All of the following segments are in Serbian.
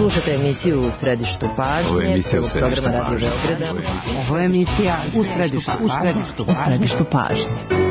Slušate emisiju U središtu pažnje, programa Radio Beograda. Ovo je emisija U središtu pažnje.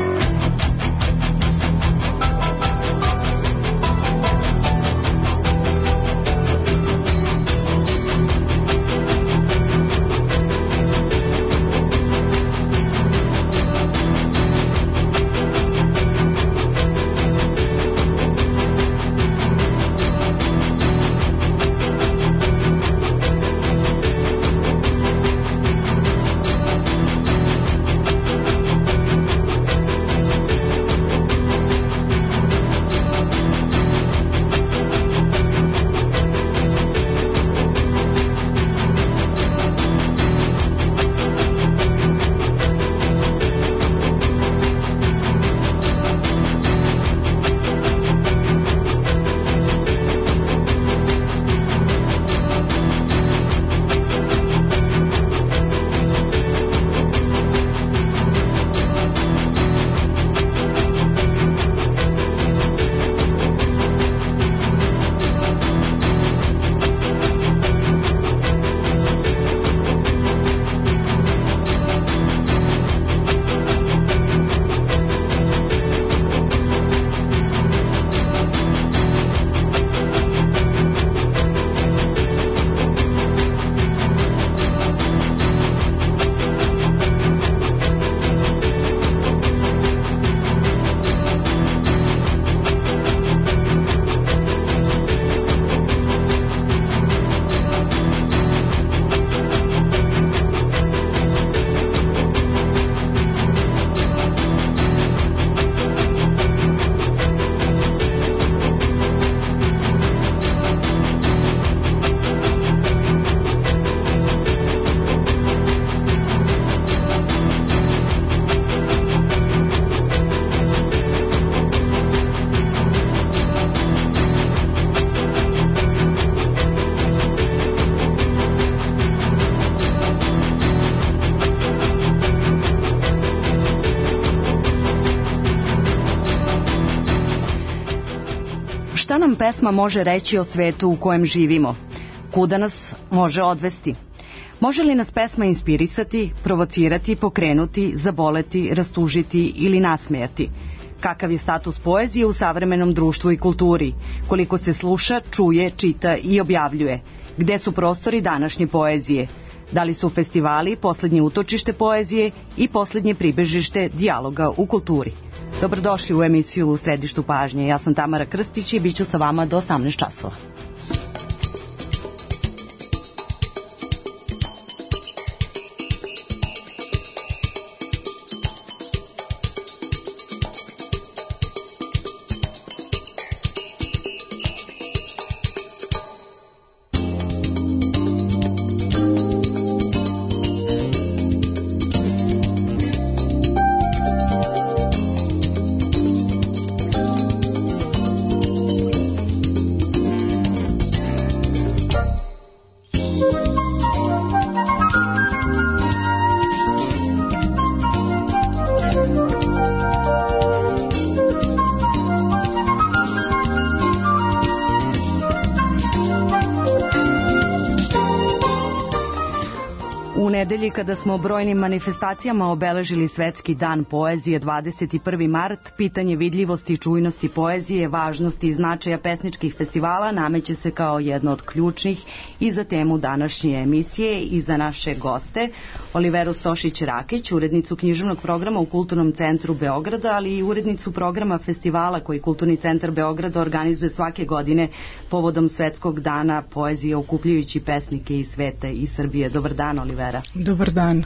Šta nam pesma može reći o svetu u kojem živimo? Kuda nas može odvesti? Može li nas pesma inspirisati, provocirati, pokrenuti, zaboleti, rastužiti ili nasmejati? Kakav je status poezije u savremenom društvu i kulturi? Koliko se sluša, čuje, čita i objavljuje? Gde su prostori današnje poezije? Da li su festivali poslednje utočište poezije i poslednje pribežište dijaloga u kulturi? Dobrodošli u emisiju U središtu pažnje. Ja sam Tamara Krstić i bit ću sa vama do 18 časova. Nedelji kada smo brojnim manifestacijama obeležili Svetski dan poezije 21. mart, pitanje vidljivosti i čujnosti poezije, važnosti i značaja pesničkih festivala nameće se kao jedno od ključnih i za temu današnje emisije i za naše goste, Oliveru Stošić-Rakić, urednicu književnog programa u Kulturnom centru Beograda, ali i urednicu programa festivala koji Kulturni centar Beograda organizuje svake godine povodom Svetskog dana poezije, okupljujući pesnike iz sveta i Srbije. Dobar dan, Olivera. Dobar dan.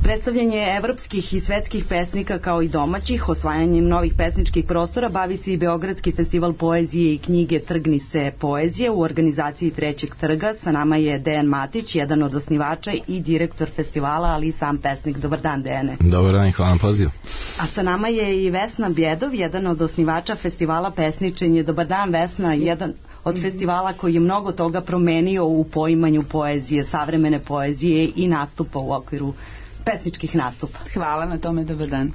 Predstavljanje evropskih i svetskih pesnika kao i domaćih, osvajanjem novih pesničkih prostora bavi se i Beogradski festival poezije i knjige Trgni se poezije u organizaciji Trećeg trga. Sa nama je Dejan Matić, jedan od osnivača i direktor festivala, ali i sam pesnik. Dobar dan, Dejane. Dobar dan i hvala na pozivu. A sa nama je i Vesna Bjedov, jedan od osnivača festivala Pesničenje. Dobar dan, Vesna, jedan od festivala koji je mnogo toga promenio u poimanju poezije, savremene poezije i nastupa u okviru pesničkih nastupa. Hvala na tome, dobar dan.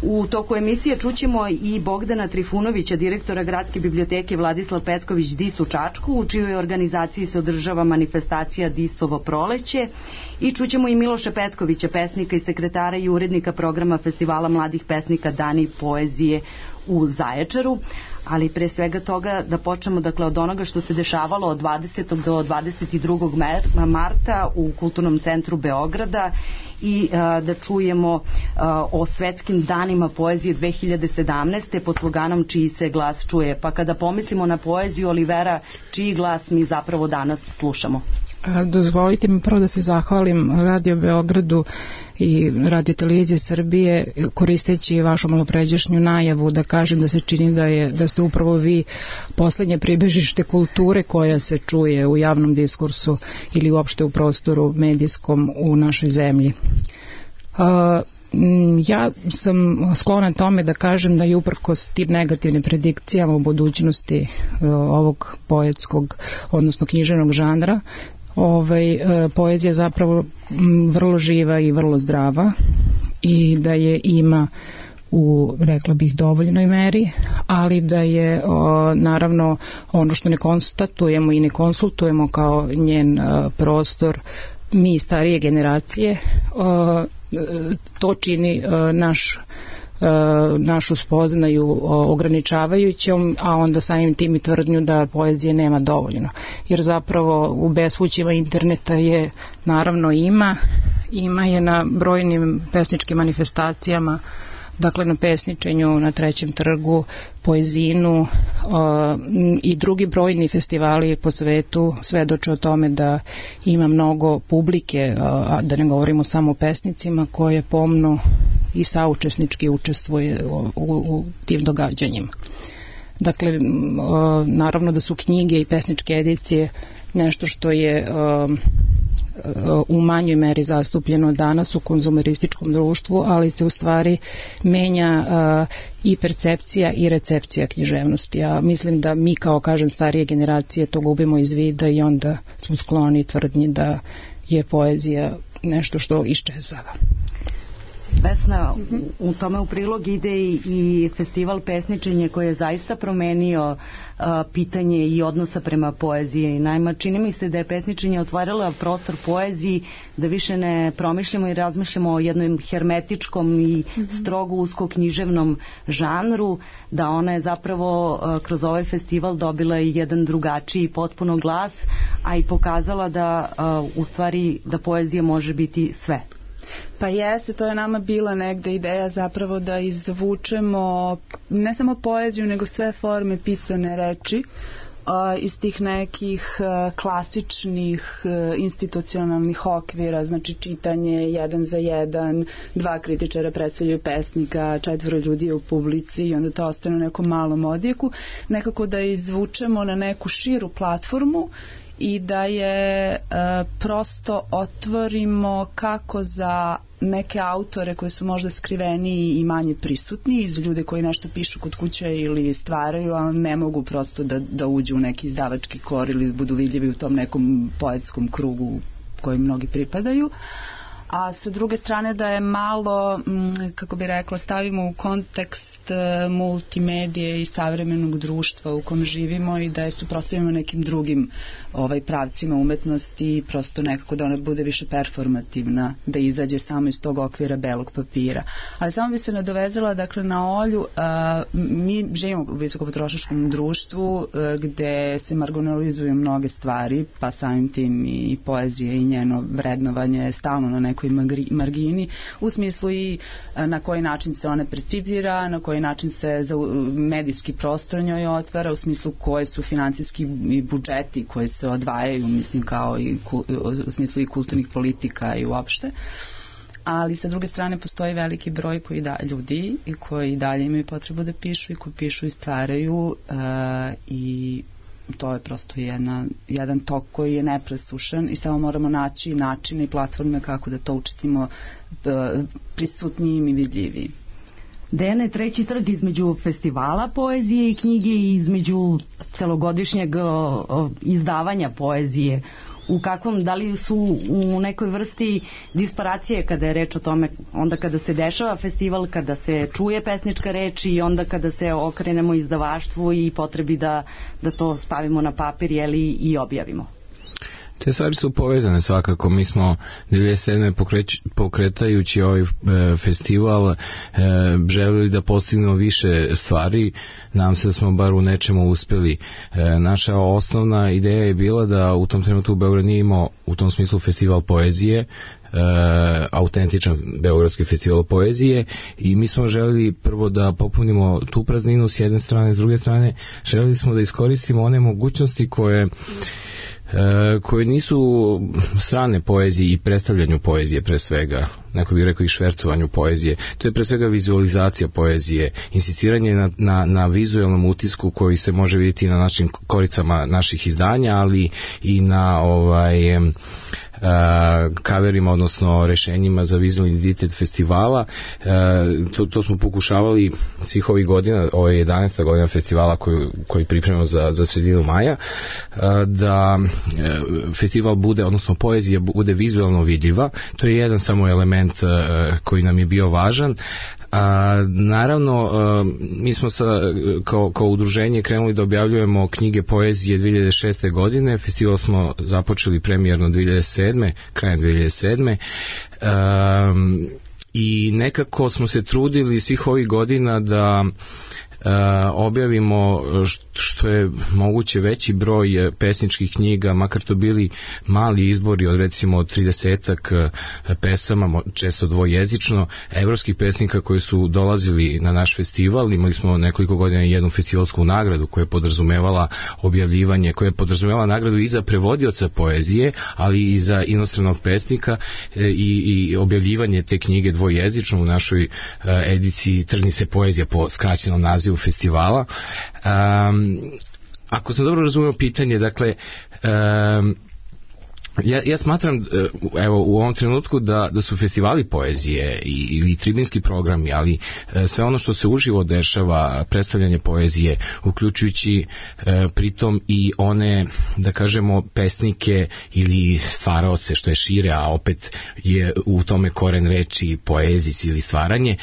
U toku emisije čućemo i Bogdana Trifunovića, direktora Gradske biblioteke Vladislav Petković DIS u Čačku, u čijoj organizaciji se održava manifestacija DIS-ovo proleće, i čućemo i Miloša Petkovića, pesnika i sekretara i urednika programa Festivala mladih pesnika Dani poezije u Zaječaru. Ali pre svega toga da počnemo od onoga što se dešavalo od 20. do 22. marta u Kulturnom centru Beograda i da čujemo o svetskim danima poezije 2017. pod sloganom Čiji se glas čuje. Pa kada pomislimo na poeziju, Olivera, čiji glas mi zapravo danas slušamo? Dozvolite mi prvo da se zahvalim Radio Beogradu i Radio Televizije Srbije, koristeći vašu malopređašnju najavu, da kažem da se čini da ste upravo vi poslednje pribežište kulture koja se čuje u javnom diskursu ili uopšte u prostoru medijskom u našoj zemlji. Ja sam sklona tome da kažem da je uprkos tim negativnim predikcijama u budućnosti ovog poetskog, odnosno književnog žanra, poezija zapravo vrlo živa i vrlo zdrava i da je ima u, rekla bih, dovoljnoj meri, ali da je naravno ono što ne konstatujemo i ne konsultujemo kao njen prostor mi starije generacije, to čini našu spoznaju ograničavajućom, a onda samim tim i tvrdnju da poezije nema dovoljno. Jer zapravo u bespućima interneta je naravno ima je na brojnim pesničkim manifestacijama, dakle na pesničenju na Trećem trgu, Poezinu i drugi brojni festivali po svetu svedoče o tome da ima mnogo publike, a da ne govorimo samo o pesnicima, koje pomno i saučesnički učestvuje u tim događanjima. Dakle, naravno da su knjige i pesničke edicije nešto što je u manjoj meri zastupljeno danas u konzumerističkom društvu, ali se u stvari menja i percepcija i recepcija književnosti. Ja mislim da mi kao, kažem, starije generacije to gubimo iz vida i onda smo skloni tvrdnji da je poezija nešto što iščezava. Vesna, u tome u prilog ide i festival pesničenja koji je zaista promenio pitanje i odnosa prema poeziji. Naime, čini mi se da je pesničenje otvaralo prostor poeziji, da više ne promišljamo i razmišljamo o jednom hermetičkom i strogo usko književnom žanru, da ona je zapravo kroz ovaj festival dobila i jedan drugačiji potpuno glas, a i pokazala da u stvari da poezija može biti sve. Pa jeste, to je nama bila negde ideja zapravo da izvučemo ne samo poeziju, nego sve forme pisane reči iz tih nekih klasičnih institucionalnih okvira, znači čitanje 1 za 1, 2 kritičara predstavljaju pesnika, 4 ljudi u publici i onda to ostane u nekom malom odjeku, nekako da izvučemo na neku širu platformu i da je prosto otvorimo kako za neke autore koji su možda skriveni i manje prisutni, iz ljude koji nešto pišu kod kuće ili stvaraju, ali ne mogu prosto da uđu u neki izdavački kor ili budu vidljivi u tom nekom poetskom krugu koji mnogi pripadaju. A sa druge strane da je malo, kako bi rekla, stavimo u kontekst multimedije i savremenog društva u kom živimo i da je suprotstavimo nekim drugim pravcima umetnosti i prosto nekako da ona bude više performativna, da izađe samo iz tog okvira belog papira. Ali samo bi se nadovezala, dakle, na Olju, mi živimo u visokopotrošačkom društvu gde se marginalizuju mnoge stvari, pa samim tim i poezija i njeno vrednovanje je stalno na nekoj margini, u smislu i na koji način se ona percipira, na koji način se medijski prostor njoj otvara, u smislu koje su finansijski budžeti koji se odvajaju, mislim, kao i u smislu i kulturnih politika i uopšte. Ali sa druge strane postoji veliki broj ljudi koji dalje imaju potrebu da pišu i koji pišu i stvaraju i to je prosto jedan tok koji je nepresušan i samo moramo naći načine i platforme kako da to učinimo prisutnijim i vidljivijim. Dejane, Treći trg između festivala poezije i knjige i između celogodišnjeg izdavanja poezije da li su u nekoj vrsti disparacije kada je reč o tome, onda kada se dešava festival, kada se čuje pesnička reč i onda kada se okrenemo izdavaštvu i potrebi da to stavimo na papir i objavimo? Te stvari su povezane svakako. Mi smo 2007. pokretajući ovaj festival želeli da postignemo više stvari. Nadam se da smo bar u nečemu uspeli. Naša osnovna ideja je bila da u tom trenutku Beograd nije imao u tom smislu festival poezije, autentičan beogradski festival poezije, i mi smo želeli prvo da popunimo tu prazninu s jedne strane, s druge strane želeli smo da iskoristimo one mogućnosti koje nisu strane poeziji i predstavljanju poezije pre svega, neko bih rekao i švercovanju poezije. To je pre svega vizualizacija poezije, insistiranje na vizualnom utisku koji se može vidjeti na našim koricama naših izdanja, ali i na kaverima, odnosno rešenjima za vizualni identitet festivala. To smo pokušavali svih ovih godina, ovo je 11. godina festivala koji pripremamo za sredinu maja, da festival bude, odnosno poezija bude vizualno vidljiva. To je jedan samo element koji nam je bio važan. Naravno, mi smo kao udruženje krenuli da objavljujemo knjige poezije 2006. godine, festival smo započeli premijerno 2007. krajem 2007. I nekako smo se trudili svih ovih godina da objavimo što je moguće veći broj pesničkih knjiga, makar to bili mali izbori od recimo 30-ak pesama, često dvojezično, evropskih pesnika koji su dolazili na naš festival. Imali smo nekoliko godina jednu festivalsku nagradu koja je podrazumevala objavljivanje, koja je podrazumevala nagradu i za prevodioca poezije, ali i za inostranog pesnika, i objavljivanje te knjige dvojezično u našoj ediciji Trgni se poezija po skraćenom nazivu festivala. Ako sam dobro razumio pitanje, dakle, ja smatram, evo, u ovom trenutku da su festivali poezije ili tribinski programi, ali sve ono što se uživo dešava, predstavljanje poezije, uključujući pritom i one, da kažemo, pesnike ili stvaraoce, što je šire, a opet je u tome koren reči poezis ili stvaranje,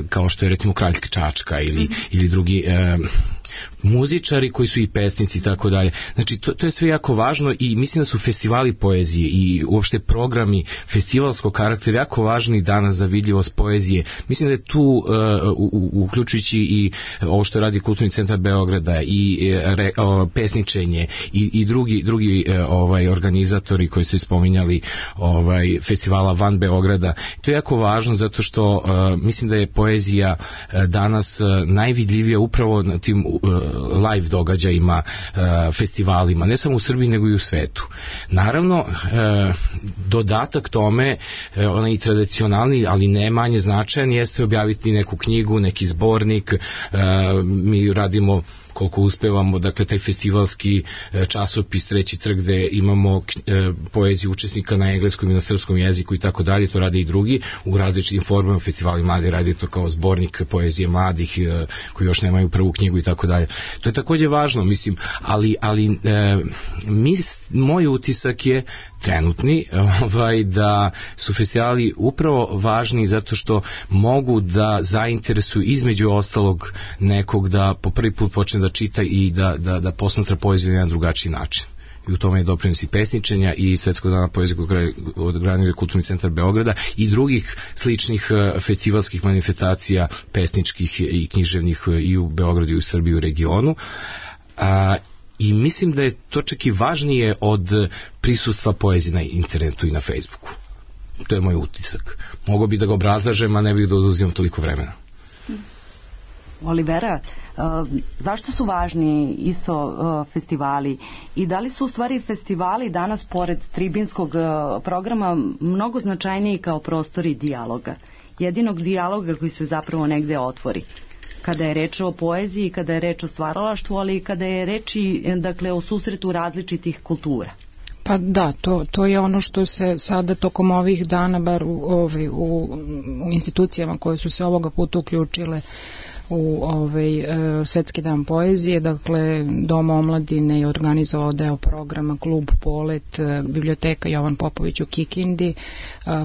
kao što je recimo Kralj Čačka ili drugi muzičari koji su i pesnici i tako dalje. Znači, to je sve jako važno i mislim da su festivali poezije i uopšte programi festivalskog karaktera jako važni danas za vidljivost poezije. Mislim da je tu, uključujući i ovo što radi Kulturni centar Beograda i pesničenje i drugi organizatori koji su spominjali festivala van Beograda, to je jako važno zato što mislim da je poezija danas najvidljivija upravo na tim live događajima, festivalima, ne samo u Srbiji nego i u svetu. Naravno, dodatak tome, onaj tradicionalni, ali ne manje značajan, jeste objaviti neku knjigu, neki zbornik. Mi radimo koliko uspevamo, dakle, taj festivalski časopis Treći trg, gde imamo poeziju učesnika na engleskom i na srpskom jeziku i tako dalje, to rade i drugi u različitim formama. Festivali mladi radi to kao zbornik poezije mladih koji još nemaju prvu knjigu i tako dalje. To je takođe važno, mislim, ali moj utisak je trenutni da su festivali upravo važni zato što mogu da zainteresuju između ostalog nekog da po prvi put počne da čita i da posmatra poeziju na jedan drugačiji način. I u tome je doprinos i pesničenja i Svetskog dana poezije koji organizuje Kulturni centar Beograda i drugih sličnih festivalskih manifestacija pesničkih i književnih i u Beogradu i u Srbiji i u regionu. I mislim da je to čak i važnije od prisustva poezije na internetu i na Facebooku. To je moj utisak. Mogu bi da ga obrazlažem, a ne bih da oduzimam toliko vremena. Olivera, zašto su važni isto festivali i da li su u stvari festivali danas pored tribinskog programa mnogo značajniji kao prostori dijaloga, jedinog dijaloga koji se zapravo negde otvori? Kada je reč o poeziji, kada je reč o stvaralaštvu, ali i kada je reč i, dakle, o susretu različitih kultura. Pa da, to je ono što se sada tokom ovih dana, bar u institucijama koje su se ovoga puta uključile u Svetski dan poezije. Dakle, Dom omladine je organizovao deo programa Klub Polet, biblioteka Jovan Popović u Kikindi.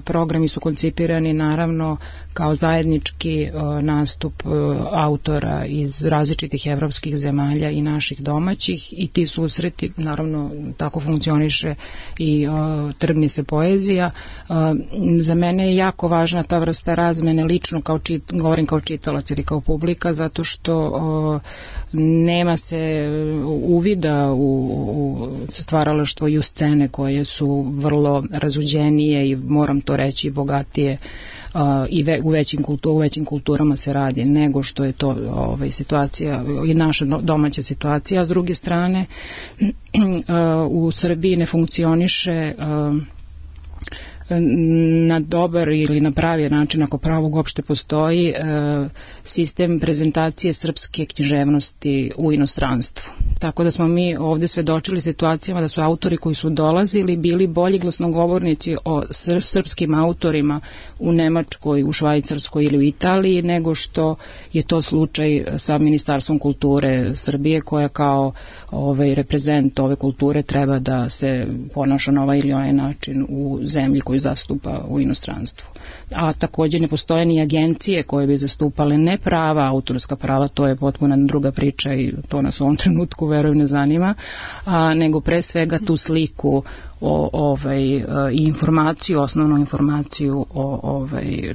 Programi su koncipirani naravno kao zajednički nastup autora iz različitih evropskih zemalja i naših domaćih, i ti susreti, naravno tako funkcioniše i Trgni se poezija. Za mene je jako važna ta vrsta razmene lično, govorim kao čitalac ili kao publika, zato što nema se uvida u stvaralaštvo i u scene koje su vrlo razuđenije i, moram to reći, bogatije i u većim kulturama se radi nego što je to situacija i naša domaća situacija. A s druge strane, u Srbiji ne funkcioniše na dobar ili na pravi način, ako pravog uopšte postoji, sistem prezentacije srpske književnosti u inostranstvu. Tako da smo mi ovde svedočili situacijama da su autori koji su dolazili bili bolji glasnogovornici o srpskim autorima u Nemačkoj, u Švajcarskoj ili u Italiji, nego što je to slučaj sa Ministarstvom kulture Srbije, koja kao reprezent ove kulture treba da se ponaša na ovaj ili onaj način u zemlji koju zastupa u inostranstvu. A također ne postoje ni agencije koje bi zastupale ne prava, autorska prava, to je potpuno druga priča i to nas u ovom trenutku verujem ne zanima, nego pre svega tu sliku i informaciju, osnovnu informaciju o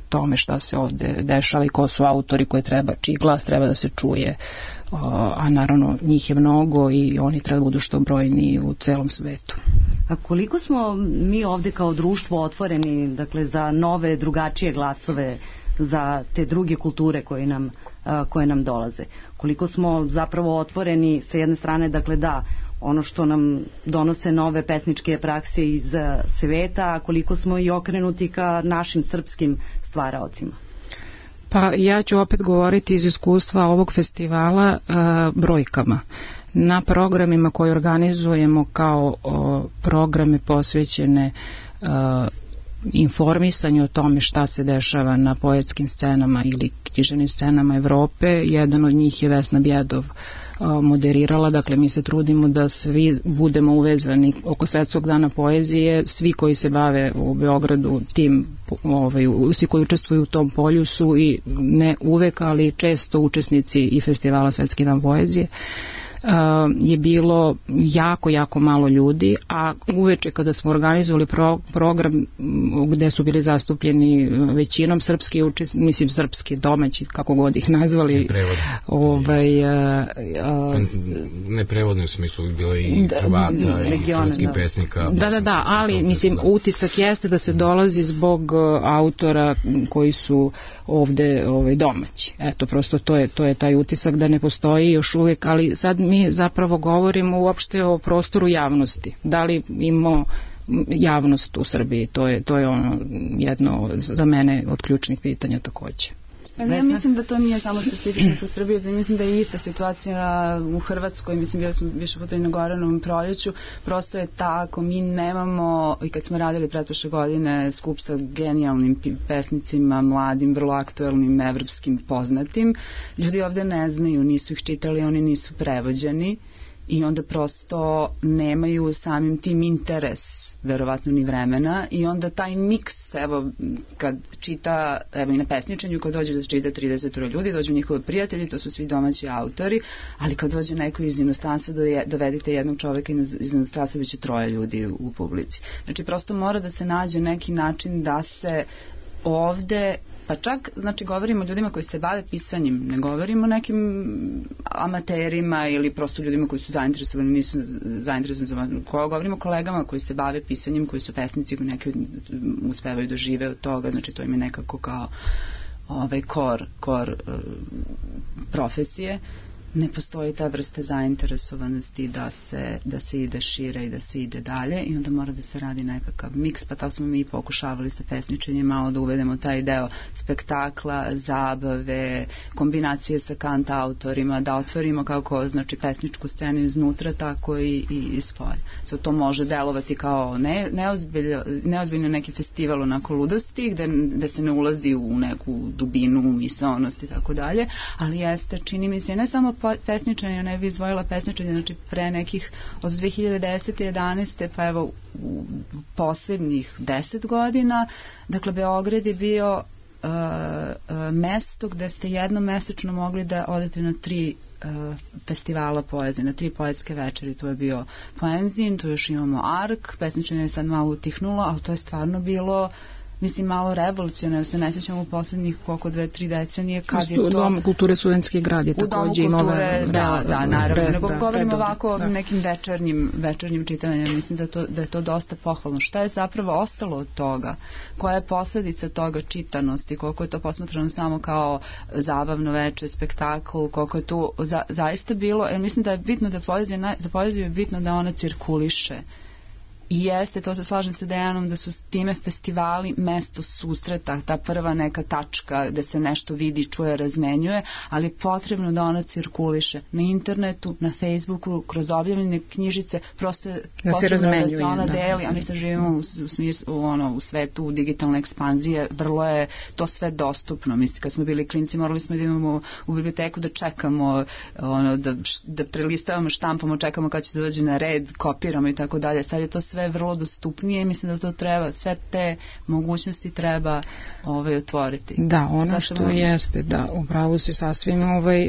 tome šta se ovde dešava i ko su autori čiji glas treba da se čuje, a naravno njih je mnogo i oni treba da budu što brojniji u celom svetu. A koliko smo mi ovde kao društvo otvoreni, dakle, za nove, drugačije glasove, za te druge kulture koje nam dolaze? Koliko smo zapravo otvoreni sa jedne strane, dakle, da, ono što nam donose nove pesničke prakse iz sveta, a koliko smo i okrenuti ka našim srpskim stvaraocima? Pa ja ću opet govoriti iz iskustva ovog festivala brojkama. Na programima koje organizujemo kao programe posvećene informisanju o tome šta se dešava na poetskim scenama ili književnim scenama Evrope, jedan od njih je Vesna Bjedov moderirala. Dakle, mi se trudimo da svi budemo uvezani oko Svetskog dana poezije. Svi koji se bave u Beogradu tim, svi koji učestvuju u tom polju su i ne uvek, ali često učesnici i festivala Svetski dan poezije. Je bilo jako malo ljudi, a uveče kada smo organizovali program gde su bili zastupljeni većinom srpski srpski domaći, kako god ih nazvali, neprevodno u smislu bilo i Hrvata i hrvatskih pesnika. Da, ali utisak jeste da se dolazi zbog autora koji su ovde domaći. Eto, prosto to je taj utisak da ne postoji još uvijek, ali sad mi zapravo govorimo uopšte o prostoru javnosti. Da li imamo javnost u Srbiji? To je ono jedno za mene od ključnih pitanja takođe. Ja mislim da to nije samo specifično sa Srbije, da mislim da je ista situacija u Hrvatskoj, mislim bili smo više puta i na Goranovom proljeću, prosto je tako, mi nemamo, i kad smo radili pretprošle godine skup sa genijalnim pesnicima, mladim, vrlo aktuelnim, evropskim, poznatim, ljudi ovde ne znaju, nisu ih čitali, oni nisu prevođeni i onda prosto nemaju samim tim interes, verovatno ni vremena, i onda taj miks, evo, kad čita, evo i na pesničenju, kad dođe da čita 30 ljudi, dođu njihovi prijatelji, to su svi domaći autori, ali kad dođe neko iz inostranstva, dovedite jednog čoveka iz inostranstva, biće 3 ljudi u publici. Znači, prosto mora da se nađe neki način da se ovde, pa čak, znači, govorimo o ljudima koji se bave pisanjem, ne govorimo o nekim amaterima ili prosto ljudima koji su zainteresovani, nisu zainteresovani, govorimo o kolegama koji se bave pisanjem, koji su pesnici, koji neki uspevaju da žive od toga, znači to im je nekako kao kor profesije. ne postoji ta vrsta zainteresovanosti da se ide šire i da se ide dalje i onda mora da se radi nekakav miks, pa tako smo mi pokušavali sa pesničenjem malo da uvedemo taj deo spektakla, zabave, kombinacije sa kant autorima, da otvorimo kako znači pesničku scenu iznutra, tako i spolja. To može delovati kao neozbiljno neki festival onako ludosti gde se ne ulazi u neku dubinu, misaonost i tako dalje, ali jeste, čini mi se, ne samo pesničanje, ne bi izvojila pesničanje, znači pre nekih od 2010. 11. pa evo u poslednjih 10 godina, dakle Beograd je bio mesto gde ste jednom mesečno mogli da odete na 3 festivala poezije, na 3 poetske večeri. To je bio Poenzin, tu još imamo Ark, pesničanje je sad malo utihnulo, ali to je stvarno bilo mislim malo revolucionarno, se ne sjećamo u poslednjih koliko 2-3 decenije kad je to... U Domu kulture Studentski grad je takođe i nove... Da, naravno, nego govorimo ovako nekim večernjim čitanjem, mislim da je to dosta pohvalno. Šta je zapravo ostalo od toga? Koja je posledica toga čitanosti? Koliko je to posmatrano samo kao zabavno veče, spektakl, koliko je to zaista bilo, jer mislim da je bitno da za poeziju je bitno da ona cirkuliše. I jeste, to se slažem sa Dejanom, da su s time festivali mesto susreta, ta prva neka tačka gde se nešto vidi, čuje, razmenjuje, ali je potrebno da ona cirkuliše na internetu, na Facebooku, kroz objavljene knjižice, prosto da se razmenjuje, da se ona deli, a mi se živimo u svetu digitalne ekspanzije, vrlo je to sve dostupno. Mislim, kad smo bili klinci, morali smo da idemo u biblioteku da čekamo, da prelistavamo, štampamo, čekamo kad će da dođe na red, kopiramo i tako dalje. Sad je to sve vrlo dostupnije i mislim da to treba, sve te mogućnosti treba otvoriti. Da, ono što jeste, da, upravo si sasvim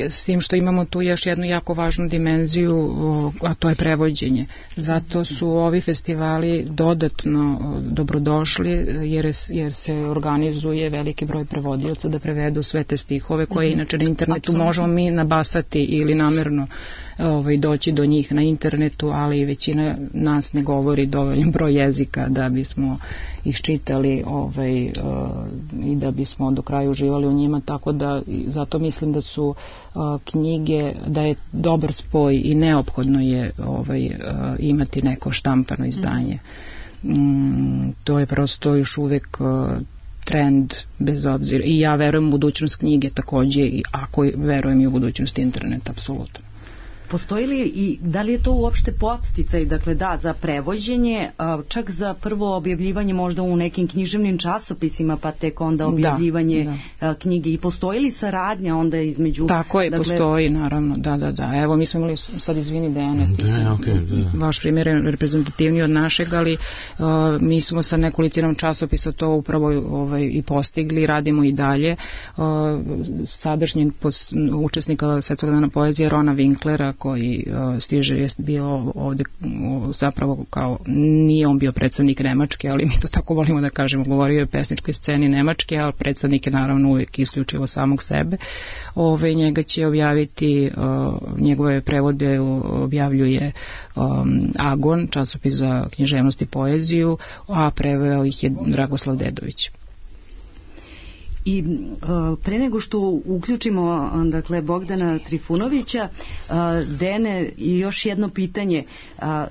s tim što imamo tu još jednu jako važnu dimenziju, a to je prevođenje. Zato su ovi festivali dodatno dobrodošli jer se organizuje veliki broj prevodioca da prevedu sve te stihove koje inače na internetu možemo mi nabasati ili namerno doći do njih na internetu, ali većina nas ne govori dovoljno broj jezika da bismo ih čitali i da bismo do kraja uživali u njima, tako da zato mislim da su knjige, da je dobar spoj i neophodno je imati neko štampano izdanje. To je prosto još uvek trend, bez obzira. I ja verujem u budućnost knjige takođe, i ako verujem i u budućnost interneta, apsolutno. Postoji li i da li je to uopšte podsticaj, dakle da, za prevođenje, čak za prvo objavljivanje možda u nekim književnim časopisima, pa tek onda objavljivanje knjige, i postoji li saradnja onda između... Tako je, postoji, naravno, da. Evo, mi smo imali, sad izvini Dejane, vaš primjer je reprezentativniji od našeg, ali mi smo sa nekolicinom časopisa to upravo i postigli, radimo i dalje. Sadašnji učesnika Svetskog dana poezije Rona Winklera, koji stiže, je bio ovde zapravo kao, nije on bio predstavnik Nemačke, ali mi to tako volimo da kažemo, govorio je o pesničkoj sceni Nemačke, ali predstavnik je naravno uvijek isključivo samog sebe. Njega će objaviti, njegove prevode objavljuje Agon, časopis za književnost i poeziju, a preveo ih je Dragoslav Dedović. I pre nego što uključimo dakle Bogdana Trifunovića, Dene, i još jedno pitanje.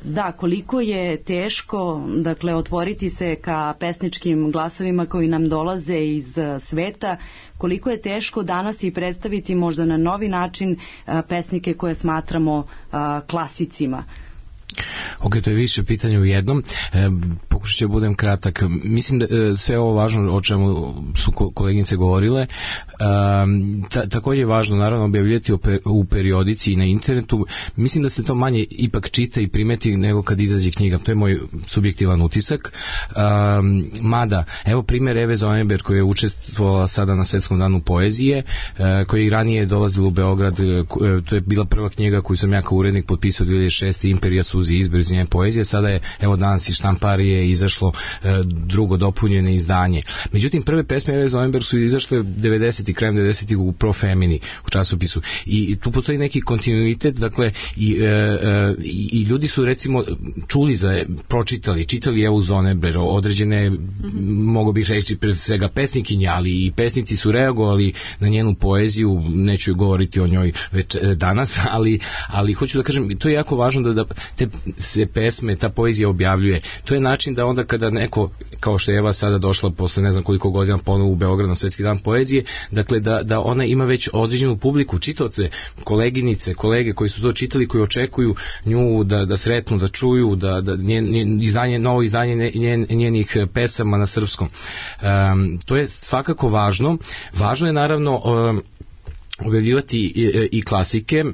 Da, koliko je teško dakle otvoriti se ka pesničkim glasovima koji nam dolaze iz sveta, koliko je teško danas i predstaviti možda na novi način pesnike koje smatramo klasicima? Ok, to je više pitanja u jednom. Pokušat ću budem kratak. Mislim da sve ovo važno o čemu su koleginice govorile. Također je važno naravno objavljati u periodici i na internetu. Mislim da se to manje ipak čita i primeti nego kad izađe knjiga. To je moj subjektivan utisak. Mada, evo primjer Eve Zoneberg koja je učestvovala sada na Svetskom danu poezije, koja je ranije dolazila u Beograd. To je bila prva knjiga koju sam ja kao urednik potpisao 2006. Imperija suzi izbor objavljivanje poezije. Sada je, evo danas iz štamparije izašlo drugo dopunjeno izdanje. Međutim, prve pesme Eve Zoenberg su izašle 90. krajem 90. u Pro Femini, u časopisu. I tu postoji neki kontinuitet, dakle, i ljudi su recimo čuli čitali Evu Zoenberg, određene, mogu bih reći pre svega pesnikinje, ali i pesnici su reagovali na njenu poeziju, neću govoriti o njoj već danas, ali hoću da kažem, to je jako važno da te se pesme, ta poezija objavljuje. To je način da onda kada neko, kao što je Eva sada došla posle ne znam koliko godina ponovo u Beograd na Svetski dan poezije, dakle da ona ima već određenu publiku, čitaoce, koleginice, kolege koji su to čitali, koji očekuju nju da sretnu, da čuju, da novo izdanje njenih pesama na srpskom. To je svakako važno. Važno je naravno objavljivati i klasike.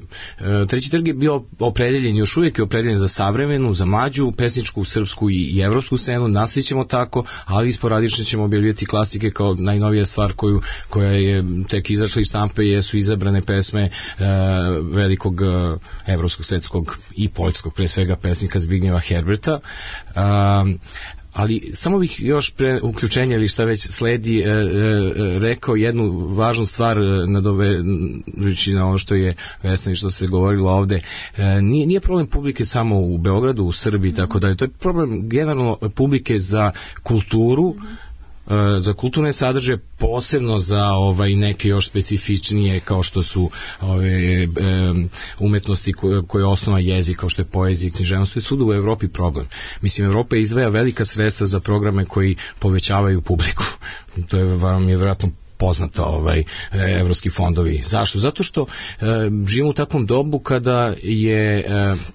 Treći trg je bio opredeljen, još uvijek je opredeljen za savremenu, za mlađu, pesničku, srpsku i evropsku scenu. Nastavit ćemo tako, ali sporadično ćemo objavljivati klasike kao najnovija stvar koja je tek izašla iz štampe, jesu izabrane pesme velikog evropskog, svetskog i poljskog, pre svega pesnika Zbignjeva Herberta. Ali samo bih još pre uključenja ili šta već sledi rekao jednu važnu stvar nadovežući na ono što je Vesna i što se govorilo ovde. Nije problem publike samo u Beogradu, u Srbiji i tako dalje. To je problem generalno publike za kulturu, za kulturne sadržaje, posebno za neke još specifičnije kao što su umetnosti koje je osnova jezik, kao što je poezija i književnost. To je svuda u Evropi problem. Mislim, Evropa izdvaja velika sredstva za programe koji povećavaju publiku. To je vam je vjerojatno poznato evropski fondovi. Zašto? Zato što živimo u takvom dobu kada je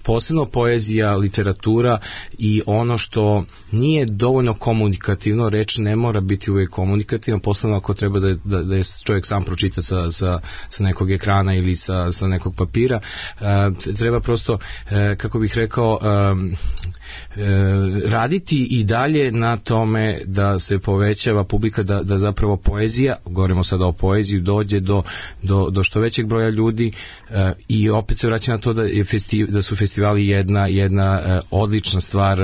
posebno poezija, literatura i ono što nije dovoljno komunikativno, reč ne mora biti uvijek komunikativna, posebno ako treba da je čovjek sam pročita sa nekog ekrana ili sa nekog papira. Treba prosto, kako bih rekao, raditi i dalje na tome da se povećava publika, da zapravo poezija, govorimo sada o poeziji, dođe do što većeg broja ljudi i opet se vraća na to da su festivali jedna odlična stvar,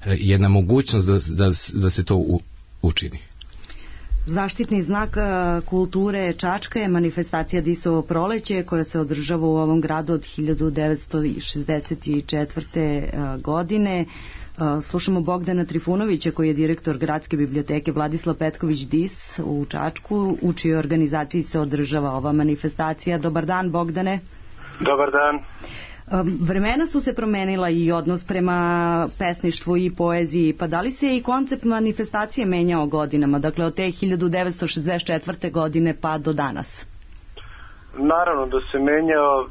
jedna mogućnost da se to učini. Zaštitni znak kulture Čačka je manifestacija Disovo proleće koja se održava u ovom gradu od 1964. godine. Slušamo Bogdana Trifunovića koji je direktor Gradske biblioteke Vladislav Petković Dis u Čačku, u čijoj organizaciji se održava ova manifestacija. Dobar dan, Bogdane. Dobar dan. Vremena su se promenila i odnos prema pesništvu i poeziji, pa da li se i koncept manifestacije menjao godinama, dakle od te 1964. godine pa do danas? Naravno da se menjao,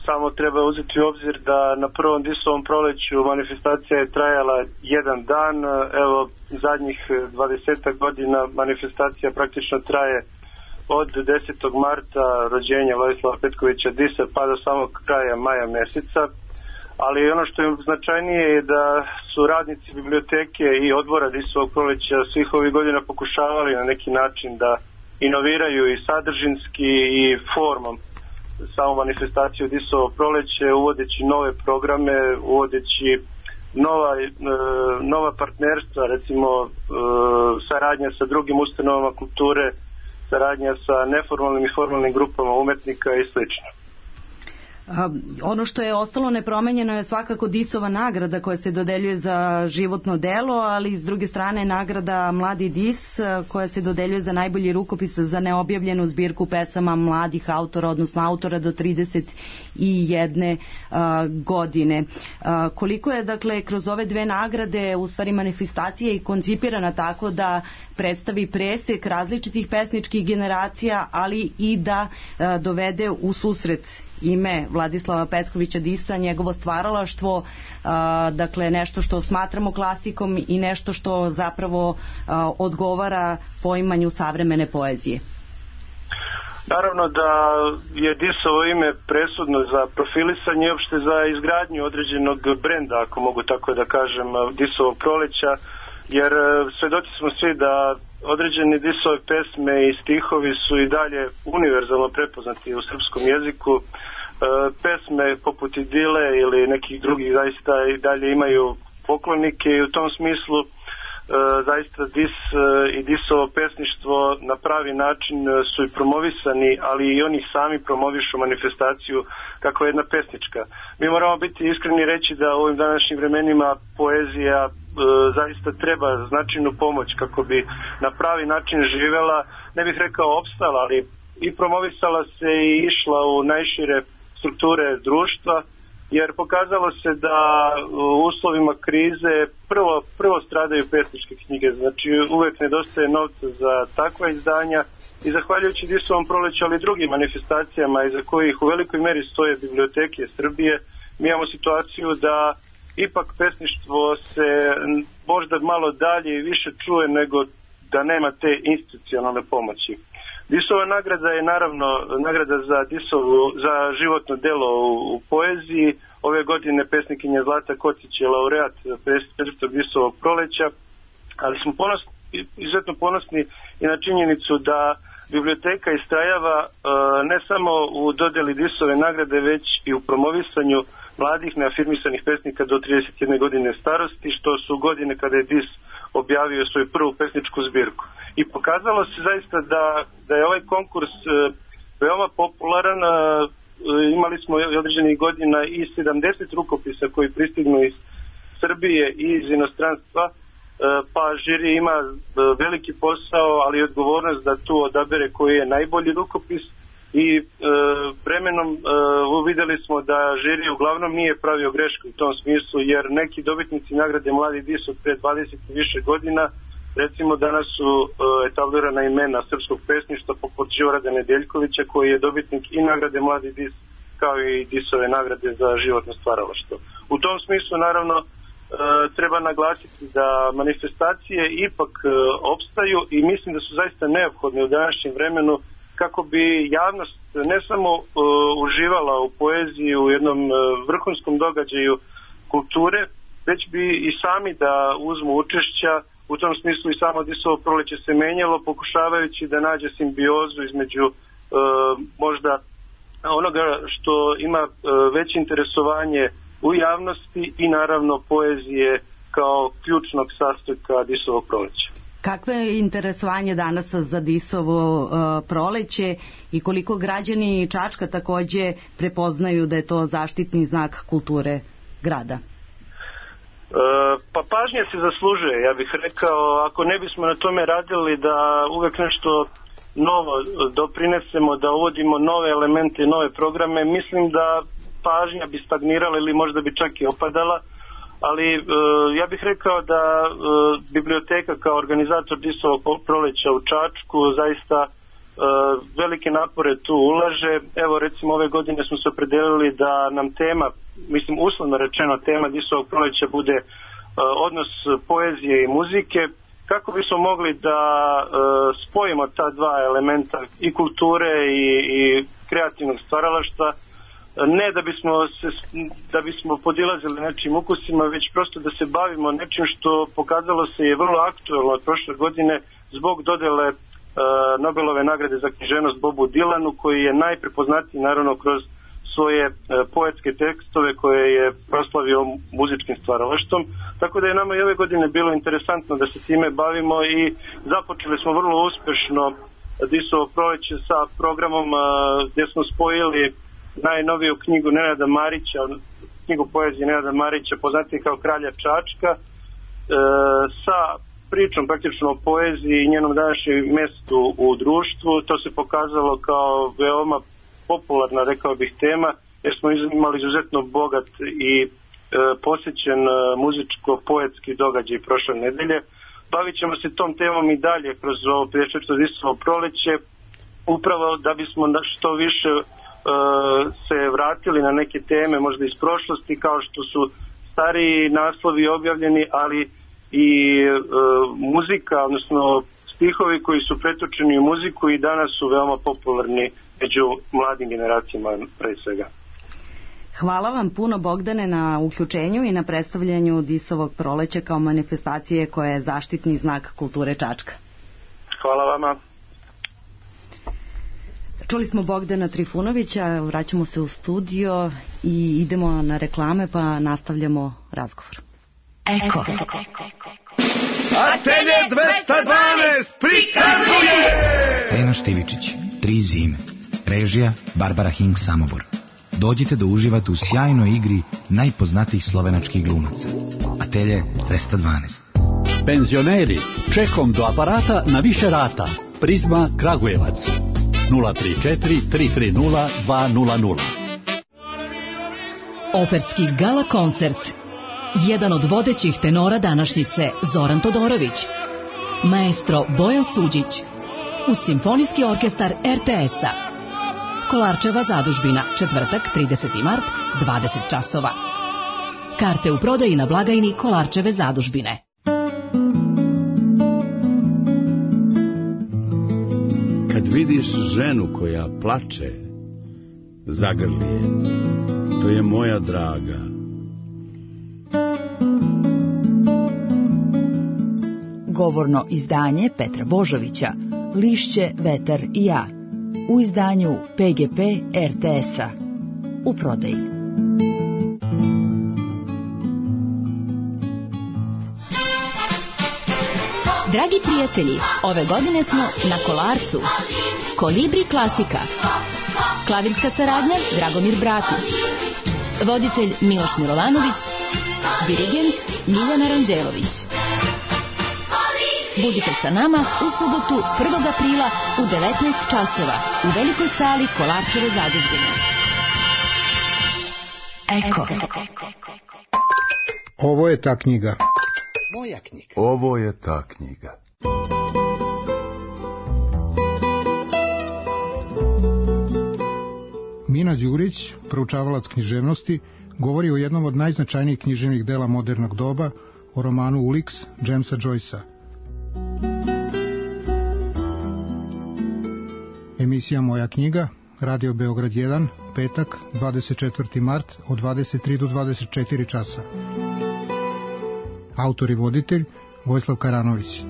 samo treba uzeti u obzir da na prvom Disovom proleću manifestacija je trajala jedan dan, evo zadnjih 20 godina manifestacija praktično traje od 10. marta rođenja Vladislava Petkovića Disa pa do samog kraja maja meseca, ali ono što je značajnije je da su radnici biblioteke i odbora Disovog proleća svih ovih godina pokušavali na neki način da inoviraju i sadržinski i formom samu manifestaciju Disovo proleće, uvodeći nove programe, uvodeći nova partnerstva, recimo saradnja sa drugim ustanovama kulture, saradnja sa neformalnim i formalnim grupama umetnika i sl. Ono što je ostalo nepromenjeno je svakako Disova nagrada koja se dodeljuje za životno delo, ali s druge strane nagrada Mladi Dis koja se dodeljuje za najbolji rukopis za neobjavljenu zbirku pesama mladih autora, odnosno autora do 31 godine. Koliko je dakle kroz ove dve nagrade u stvari manifestacija i koncipirana tako da predstavi presek različitih pesničkih generacija, ali i da dovede u susret ime Vladislava Petkovića Disa, njegovo stvaralaštvo, dakle nešto što smatramo klasikom i nešto što zapravo odgovara poimanju savremene poezije. Naravno da je Disovo ime presudno za profilisanje i uopšte za izgradnju određenog brenda, ako mogu tako da kažem, Disovog proleća, jer svedoci smo svi da određene Disove pesme i stihovi su i dalje univerzalno prepoznati u srpskom jeziku. Pesme poput Idile ili nekih drugih zaista i dalje imaju poklonike i u tom smislu zaista dis i disovo pesništvo na pravi način su i promovisani, ali i oni sami promovišu manifestaciju kako je jedna pesnička. Mi moramo biti iskreni reći da u ovim današnjim vremenima poezija zaista treba značajnu pomoć kako bi na pravi način živela, ne bih rekao opstala, ali i promovisala se i išla u najšire strukture društva, jer pokazalo se da u uslovima krize prvo stradaju pesničke knjige, znači uvek nedostaje novca za takva izdanja i zahvaljujući Disovom proleću, ali i drugim manifestacijama iza kojih u velikoj meri stoje biblioteke Srbije, mi imamo situaciju da ipak pesništvo se možda malo dalje i više čuje nego da nema te institucionalne pomoći. Disova nagrada je naravno nagrada za životno delo u poeziji. Ove godine pesnikinja Zlata Kocić je laureat 54. Disovog proleća, ali smo izuzetno ponosni i na činjenicu da biblioteka istrajava ne samo u dodeli Disove nagrade, već i u promovisanju mladih neafirmisanih pesnika do 31 godine starosti, što su godine kada je Dis objavio svoju prvu pesničku zbirku. I pokazalo se zaista da je ovaj konkurs veoma popularan. Imali smo određenih godina i 70 rukopisa koji pristignu iz Srbije i iz inostranstva, pa žiri ima veliki posao, ali i odgovornost da tu odabere koji je najbolji rukopis i vremenom uvideli smo da žiri uglavnom nije pravio greške u tom smislu, jer neki dobitnici nagrade Mladi Dis od pre 20 i više godina, recimo danas su etablirana imena srpskog pesništva poput Đorada Nedeljkovića, koji je dobitnik i nagrade Mladi Dis kao i Disove nagrade za životno stvaralaštvo. U tom smislu naravno treba naglasiti da manifestacije ipak opstaju i mislim da su zaista neophodne u današnjem vremenu kako bi javnost ne samo uživala u poeziji u jednom vrhunskom događaju kulture, već bi i sami da uzmu učešća. U tom smislu i samo Disovo proleće se menjalo, pokušavajući da nađe simbiozu između možda onoga što ima veće interesovanje u javnosti i naravno poezije kao ključnog sastojka Disovog proleća. Kakvo je interesovanje danas za Disovo proleće i koliko građani Čačka takođe prepoznaju da je to zaštitni znak kulture grada? Pa pažnja se zaslužuje, ja bih rekao, ako ne bismo na tome radili da uvek nešto novo doprinesemo, da uvodimo nove elemente i nove programe, mislim da pažnja bi stagnirala ili možda bi čak i opadala, ali ja bih rekao da biblioteka kao organizator Disovog proleća u Čačku zaista velike napore tu ulaže. Evo recimo ove godine smo se opredelili da nam tema, mislim uslovno rečeno tema Disovog proleća bude odnos poezije i muzike, kako bismo mogli da spojimo ta dva elementa i kulture i kreativnog stvaralaštva, ne da bismo podilazili nečim ukusima, već prosto da se bavimo nečim što pokazalo se je vrlo aktuelno od prošle godine zbog dodele Nobelove nagrade za književnost Bobu Dilanu, koji je najprepoznatiji naravno kroz svoje poetske tekstove koje je proslavio muzičkim stvaralaštvom. Tako da je nama i ove godine bilo interesantno da se time bavimo i započeli smo vrlo uspešno Disovo proleće sa programom gdje smo spojili najnoviju knjigu Nenada Marića, knjigu poezije Nenada Marića, poznatiji kao Kralja Čačka, sa pričom praktično o poeziji i njenom današnjem mestu u društvu. To se pokazalo kao veoma popularna, rekao bih, tema, jer smo imali izuzetno bogat i posjećen muzičko-poetski događaj prošle nedelje. Bavit ćemo se tom temom i dalje kroz ovo 54. Disovo proleće, upravo da bismo što više se vratili na neke teme možda iz prošlosti, kao što su stariji naslovi objavljeni, ali i muzika, odnosno stihovi koji su pretočeni u muziku i danas su veoma popularni među mladim generacijama pre svega. Hvala vam puno, Bogdane, na uključenju i na predstavljanju Disovog proleća kao manifestacije koja je zaštitni znak kulture Čačka. Hvala vama. Čuli smo Bogdana Trifunovića, vraćamo se u studio i idemo na reklame pa nastavljamo razgovor. Eko. Atelje 212 prikazuje! Tena Štivičić, 3 zime. Režija Barbara Hink Samobor. Dođite da uživate u sjajnoj igri najpoznatijih slovenačkih glumaca. Atelje 212. Penzioneri, čekom do aparata na više rata. Prizma Kragujevac. 034 330 200. Operski gala koncert. Jedan od vodećih tenora današnjice, Zoran Todorović. Maestro Bojan Suđić. Uz Simfonijski orkestar RTS-a. Kolarčeva zadužbina, četvrtak, 30. mart, 20 časova. Karte u prodaji na blagajni Kolarčeve zadužbine. Kad vidiš ženu koja plače, zagrli je. To je moja draga. Govorno izdanje Petra Božovića, Lišće, vetar i ja. U izdanju PGP RTS-a. U prodaji. Dragi prijatelji, ove godine smo na Kolarcu. Kolibri klasika. Klavirska saradnja Dragomir Bratić. Voditelj Miloš Milovanović. Dirigent Ljiljana Ranđelović. Budite sa nama u subotu 1. aprila u 19 časova u velikoj sali Kolarčeve zadužbine. Eko. Ovo je ta knjiga. Moja knjiga. Ovo je ta knjiga. Mina Đurić, proučavalac književnosti, govori o jednom od najznačajnijih književnih dela modernog doba, o romanu Ulix Jamesa Joycea. Emisija Moja knjiga, Radio Beograd 1, petak, 24. mart, od 23 do 24 časa. Autor i voditelj Vojislav Karanović.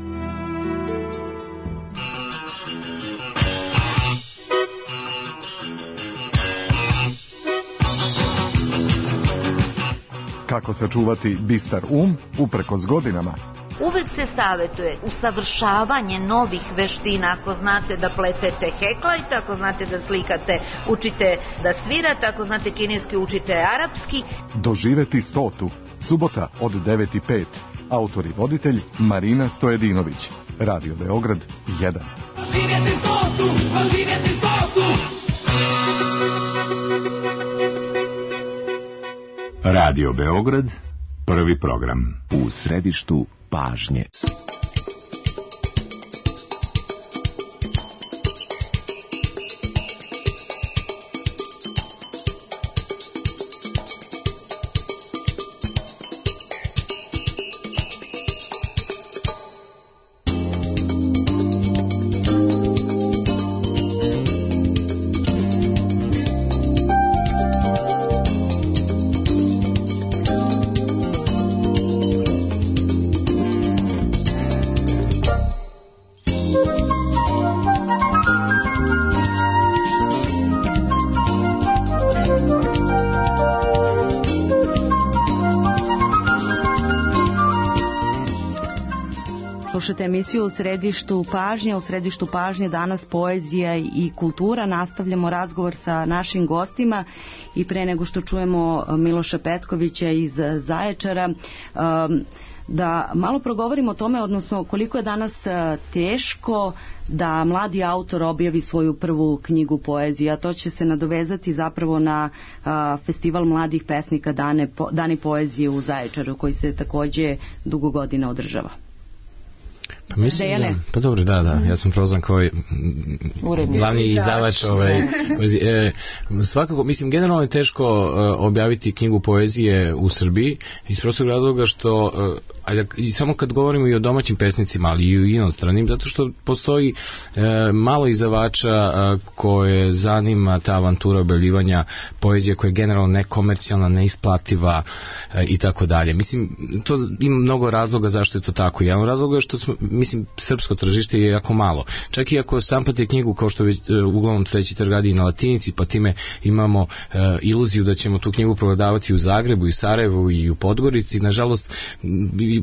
Kako sačuvati bistar uprkos godinama? Uvek se savetuje usavršavanje novih veština. Ako znate da pletete heklajte, ako znate da slikate, učite da svirate, ako znate kineski, učite arapski. Doživeti 100. Subota od 9:05. Autor i voditelj Marina Stojedinović. Radio Beograd 1. Doživjeti 100. Doživjeti 100. Radio Beograd, prvi program. U središtu pažnje. Slušate emisiju u središtu pažnje. U središtu pažnje danas poezija i kultura. Nastavljamo razgovor sa našim gostima i pre nego što čujemo Miloša Petkovića iz Zaječara, da malo progovorimo o tome, odnosno koliko je danas teško da mladi autor objavi svoju prvu knjigu poezije, a to će se nadovezati zapravo na festival mladih pesnika Dani poezije u Zaječaru, koji se takođe dugo godina održava. Pa mislim da, pa dobro, da, ja sam prozvan kao glavni izdavač poezije. Svakako, mislim, generalno je teško objaviti knjigu poezije u Srbiji iz prostog razloga što i samo kad govorimo i o domaćim pesnicima, ali i o inostranim, zato što postoji malo izdavača koje zanima ta avantura objavljivanja poezije koja je generalno nekomercijalna, neisplativa i tako dalje. Mislim, to ima mnogo razloga zašto je to tako. Jedan razlog je što srpsko tržište je jako malo. Čak i ako sampate knjigu kao što već uglavnom treći trg radi na latinici, pa time imamo iluziju da ćemo tu knjigu prodavati u Zagrebu i Sarajevu i u Podgorici, nažalost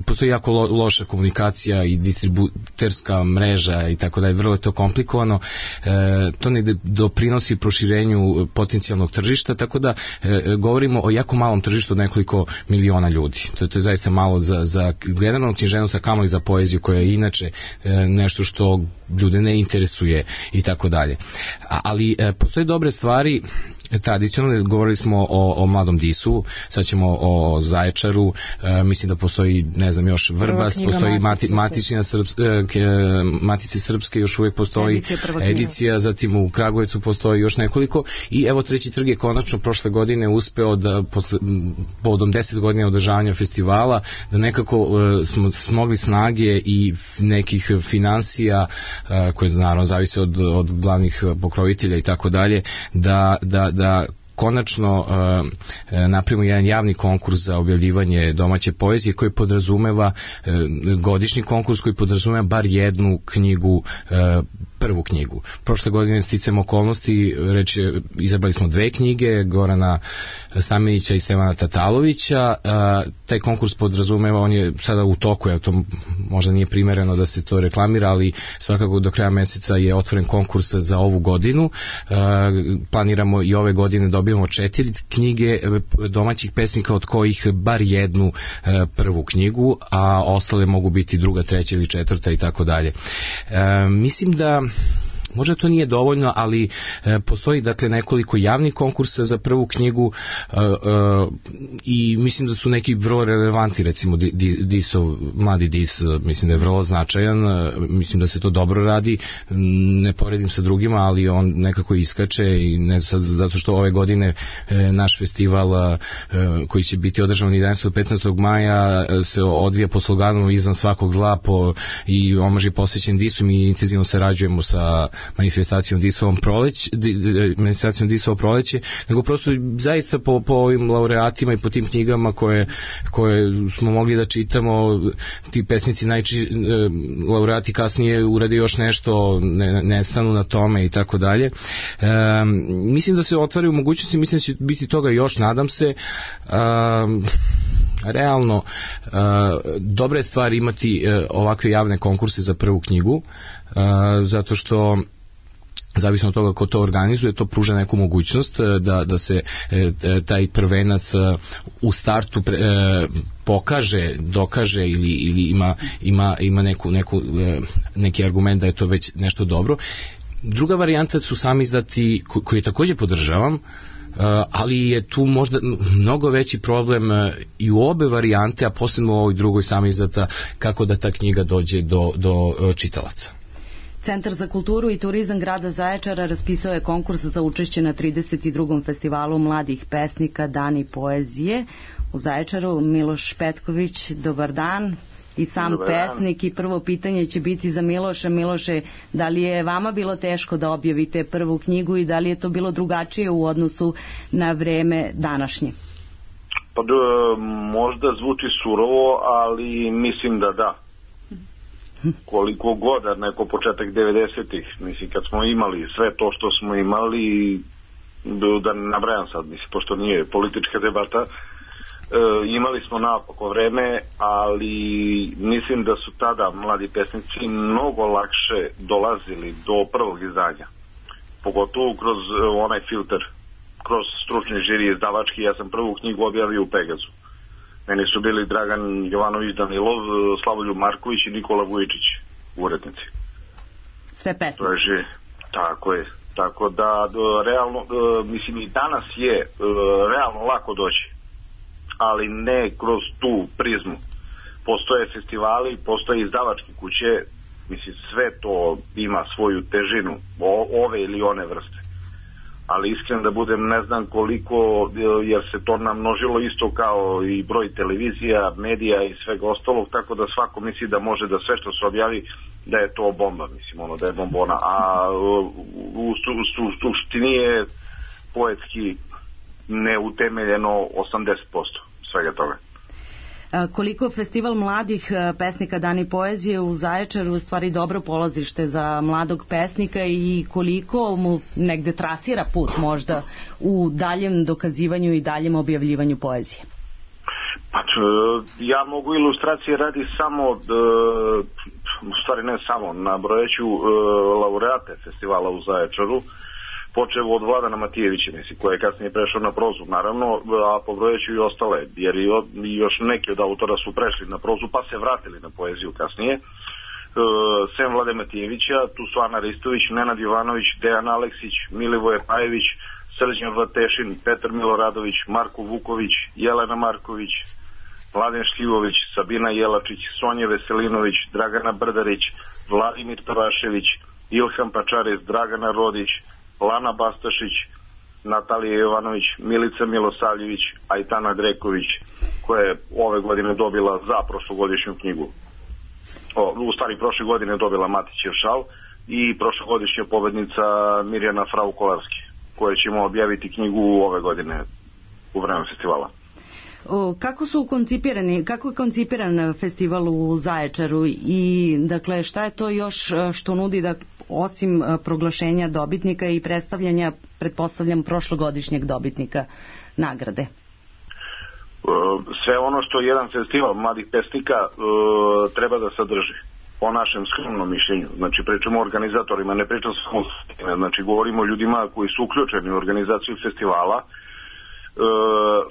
postoji jako loša komunikacija i distributerska mreža i tako dalje, vrlo je to komplikovano, to ne doprinosi proširenju potencijalnog tržišta, tako da govorimo o jako malom tržištu od nekoliko miliona ljudi. To je zaista malo za generalnu književnost, a kamoli za poeziju koja je inače nešto što ljude ne interesuje i tako dalje. Ali postoje dobre stvari, tradicionalno govorili smo o Mladom Disu, sad ćemo o Zaječaru, mislim da postoji, ne znam, još Vrbas, postoji Matice Srpske, još uvijek postoji edicija, zatim u Kragujevcu postoji još nekoliko i evo Treći trg je konačno prošle godine uspeo da povodom 10 godina održavanja festivala da nekako smo smogli snage i nekih financija koje naravno zavise od glavnih pokrovitelja i tako dalje, da konačno napravimo jedan javni konkurs za objavljivanje domaće poezije koji podrazumeva godišnji konkurs koji podrazumeva bar jednu knjigu, prvu knjigu. Prošle godine sticam okolnosti, izabrali smo 2 knjige, Gorana Stamenića i Stevana Tatalovića. Taj konkurs podrazumeva, on je sada u toku, to možda nije primereno da se to reklamira, ali svakako do kraja meseca je otvoren konkurs za ovu godinu. Planiramo i ove godine dobijemo 4 knjige domaćih pesnika, od kojih bar jednu prvu knjigu, a ostale mogu biti druga, treća ili četvrta i tako dalje. Mislim da možda to nije dovoljno, ali postoji dakle nekoliko javnih konkursa za prvu knjigu i mislim da su neki vrlo relevantni, recimo Mladi Dis, mislim da je vrlo značajan, mislim da se to dobro radi, ne poredim sa drugima, ali on nekako iskače i ne sad zato što ove godine naš festival koji će biti održan 11. do 15. maja se odvija po sloganu izvan svakog zla i omaž je posvećen Disu, mi intenzivno sarađujemo sa manifestacijom Disovo proleće, nego prosto zaista po ovim laureatima i po tim knjigama koje smo mogli da čitamo, ti pesnici laureati kasnije urade još nešto, ne stanu na tome i tako dalje. Mislim da se otvaraju mogućnosti, mislim da će biti toga još, nadam se. Realno, dobre stvari imati ovakve javne konkurse za prvu knjigu, zato što zavisno od toga ko to organizuje, to pruža neku mogućnost da se taj prvenac u startu pokaže, dokaže ili ima neki argument da je to već nešto dobro. Druga varijanta su sami izdati, koji također podržavam, ali je tu možda mnogo veći problem i u obe varijante, a posebno u ovoj drugoj sami izdata, kako da ta knjiga dođe do čitalaca. Centar za kulturu i turizam grada Zaječara raspisao je konkurs za učešće na 32. festivalu mladih pesnika Dani poezije u Zaječaru. Miloš Petković, dobar dan. I sam pesnik, i prvo pitanje će biti za Miloša. Miloše, da li je vama bilo teško da objavite prvu knjigu i da li je to bilo drugačije u odnosu na vreme današnje? Pa možda zvuči surovo, ali mislim da da. Koliko god, neko početak 90-ih, mislim, kad smo imali sve to što smo imali, da ne nabrajam sad, mislim, pošto nije politička debata, imali smo naopako vreme, ali mislim da su tada mladi pesnici mnogo lakše dolazili do prvog izdanja, pogotovo kroz onaj filter, kroz stručni žiri izdavački. Ja sam prvu knjigu objavio u Pegazu. Meni su bili Dragan Jovanović Danilov, Slavoljub Marković i Nikola Vujičić, urednici. Sve pesnici. Tako je. Tako da, realno, mislim, i danas je realno lako doći, ali ne kroz tu prizmu. Postoje festivali, postoje izdavačke kuće, mislim, sve to ima svoju težinu, ove ili one vrste. ali iskren da budem ne znam koliko, jer se to namnožilo isto kao i broj televizija, medija i svega ostalog, tako da svako misli da može da sve što se objavi da je to bomba, mislim, ono da je bombona, a u suštini je poetski neutemeljeno 80% svega toga. Koliko festival mladih pesnika Dani poezije u Zaječaru u stvari dobro polazište za mladog pesnika i koliko mu negde trasira put možda u daljem dokazivanju i daljem objavljivanju poezije? Pa ja mogu ilustracije radi samo, u stvari ne samo, nabrojeću laureate festivala u Zaječaru, počeo od Vladana Matijevića, mislim, koji je kasnije prešao na prozu, naravno, a pobrojeću i ostale, jer još neki od autora su prešli na prozu, pa se vratili na poeziju kasnije. Sem Vlade Matijevića, tu su Ana Ristović, Nenad Jovanović, Dejan Aleksić, Milivoje Pajević, Srđan Vatešin, Petar Miloradović, Marko Vuković, Jelena Marković, Mladen Šljivović, Sabina Jelačić, Sonja Veselinović, Dragana Brdarić, Vladimir Tavašević, Ilham Pačarez, Dragana Rodić, Lana Bastašić, Natalija Jovanović, Milica Milosavljević, Ajtana Greković, koja je ove godine dobila za prošlogodišnju knjigu. U stvari prošle godine dobila Matićev šal i prošlogodišnja pobednica Mirjana Frau Kolarski, koja ćemo objaviti knjigu ove godine u vreme festivala. Kako je koncipiran festival u Zaječaru i dakle šta je to još što nudi da osim proglašenja dobitnika i predstavljanja, pretpostavljam, prošlogodišnjeg dobitnika nagrade? Sve ono što jedan festival mladih pesnika treba da sadrži, po našem skromnom mišljenju. Znači pričamo o organizatorima, ne pričamo samo, znači govorimo o ljudima koji su uključeni u organizaciju festivala.